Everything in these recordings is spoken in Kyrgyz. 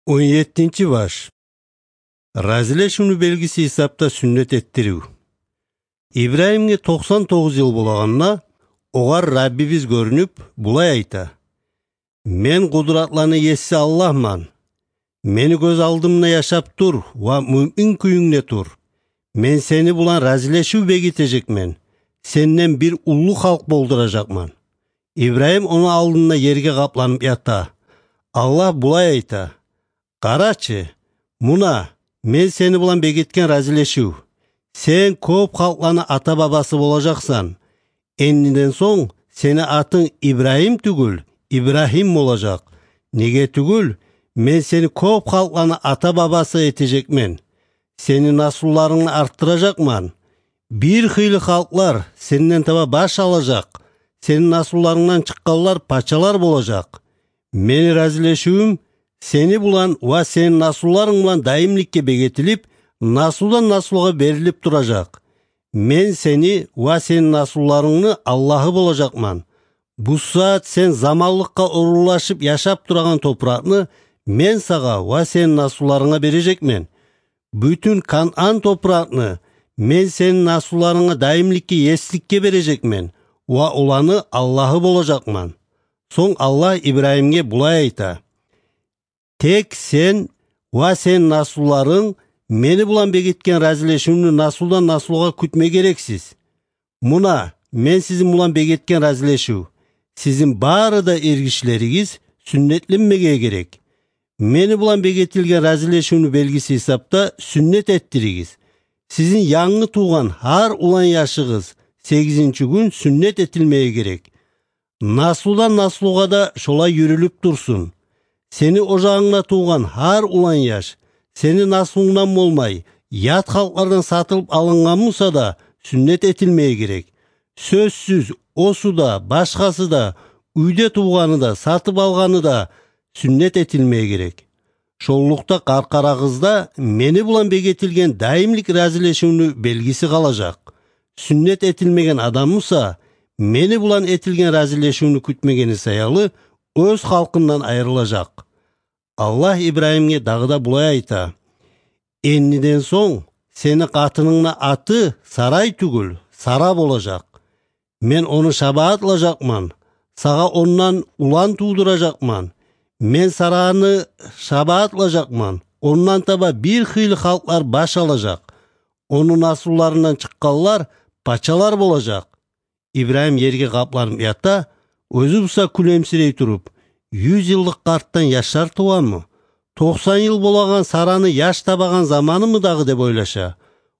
17-баш. Разилешүүнүн белгиси исапта сүннет эттирүү. Ибраимге 99 жыл болаганна, огар Раббибиз көрүнүп, булай айта: "Мен кудуратланы эсси Аллахман. Мени көз алдымда жашап тур ва мүмин күйүңне тур. Мен сени булан разилешүү бекитежекмен. Сенден бир улуу халк болдуражакман." Ибраим онун алдында жерге капланып ята. Аллах булай айта: "Карачы, муна, мен сени булан бекиткен разилешүү. Сен көп халкларны ата бабасы болажаксан. Эндиден соң сени атың Ибраим түгүл, Ибрахим болажак. Неге түгүл? Мен сени көп халкларны ата бабасы этежекмен. Сени насулларыңды арттыражакман. Бир хыйлы халклар сенден таба баш алажак. Сенин насулларыңдан чыкканлар пачалар болажак. Менин разилешүүм сени булан ва сенин насулларың булан дайымликке бекетилип, насулдан насулга берилип туражак. Мен сени ва сенин насулларыңны Аллахы болажакман. Бу саат сен замаллыкка урулашып жашап турган топуракны мен сага ва сенин насулларыңа бережекмен. Бүтүн Канан топуракны мен сенин насулларыңа дайымликке эстикке бережекмен ва уланы Аллахы болажакман." Соң Аллах Ибраимге булай айта: "Тек сен ва сенин насулларың мени булан бекиткен разилешүүнү насулдан насулга күтмө керексиз. Муна, мен сизин булан бекиткен разилешүү. Сизин баары да эргишлериңиз сүннетленмеге керек. Мени булан бекитилген разилешүүнүн белгиси исапта сүннет эттиригиз. Сизин яңы тууган ар улан жашыгыз 8-күн сүннет этилмеге керек. Насулдан насулга да шолай жүрүлүп турсун. Сени ожагыңда тууган ар улан жаш, сени насулуңдан болмай, ят халклардан сатылып алынган болсо да сүннет этилмеге керек. Сөзсүз, осу да, башкасы да, үйдө тууганы да, сатып алганы да сүннет этилмеге керек. Шоллукта каркарагызда мени булан бекетилген дайымлык разилешүүнүн белгиси калажак. Сүннет этилмеген адам болсо, мени булан этилген разилешүүнү күтмегени саялы өз халкынан айрылажак." Аллах Ибраимге дагы да булай айта: "Эндиден соң сени катыныңдын аты Сарай түгүл, Сара болажак. Мен ону шабаатлажакман, сага ондан улан туудуражакман. Мен Сараны шабаатлажакман, ондан таба бир хыйлы халклар баш алажак. Онун насулларынан чыкканлар пачалар болажак." Ибраим жерге капланып ята, өзү булса күлөмсүрөй туруп: "100 жылдык карттан жашар тубанмы? 90 жыл болаган Сараны жаш табаган заманымы дагы?" деп ойлоша.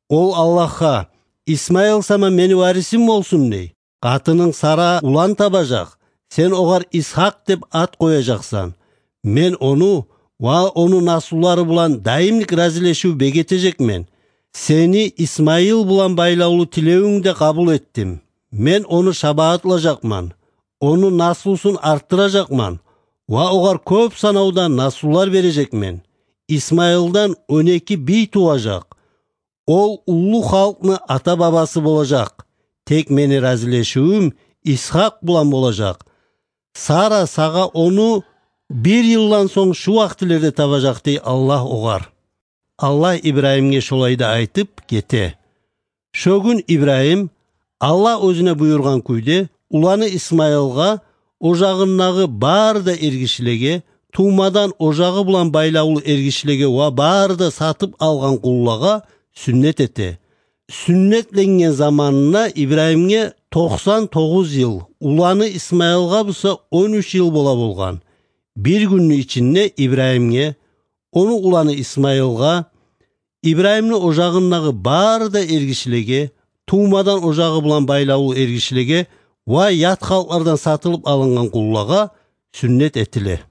Ол Аллахка: "Исмаил сама мени варисим болсун" дей. "Катының Сара улан табажак. Сен огар Исхак деп ат кояжаксан. Мен ону ва онун насуллары булан дайымлык разилешүү бекетежекмен. Сени Исмаил булан байлаулуу тилөөңдү кабыл эттим. Мен ону шабаатлажакман, онун насулсун арттыражакман ва огар көп санауудан насуллар бережекмен. Исмаилдан 12 бий тубажак. Ол улуу халктын ата бабасы болажак. Тек менин разилешүүм Исхак булан болажак. Сара сага ону 1 жылдан соң шу вактилерде табажак" дей Аллах огар. Аллах Ибраимге шолай да айтып кете. Шөгүн Ибраим Аллах өзүнө буйруган күйдө уланы Исмаилга, ожагындагы баары да эргишлеге, туумадан ожагы булан байлаулуу эргишлеге ва баары да сатып алган куллага сүннет эте. Сүннетленген заманына Ибраимге 99 жыл, уланы Исмаилга болсо 13 жыл бола болгон. Бир күндүн ичинде Ибраимге, ону уланы Исмаилга, Ибраимдин ожагындагы баары да эргишлеге, туумадан ожагы булан байлаулуу эргишлеге ва ят халклардан сатылып алынган куллага сүннет этиле.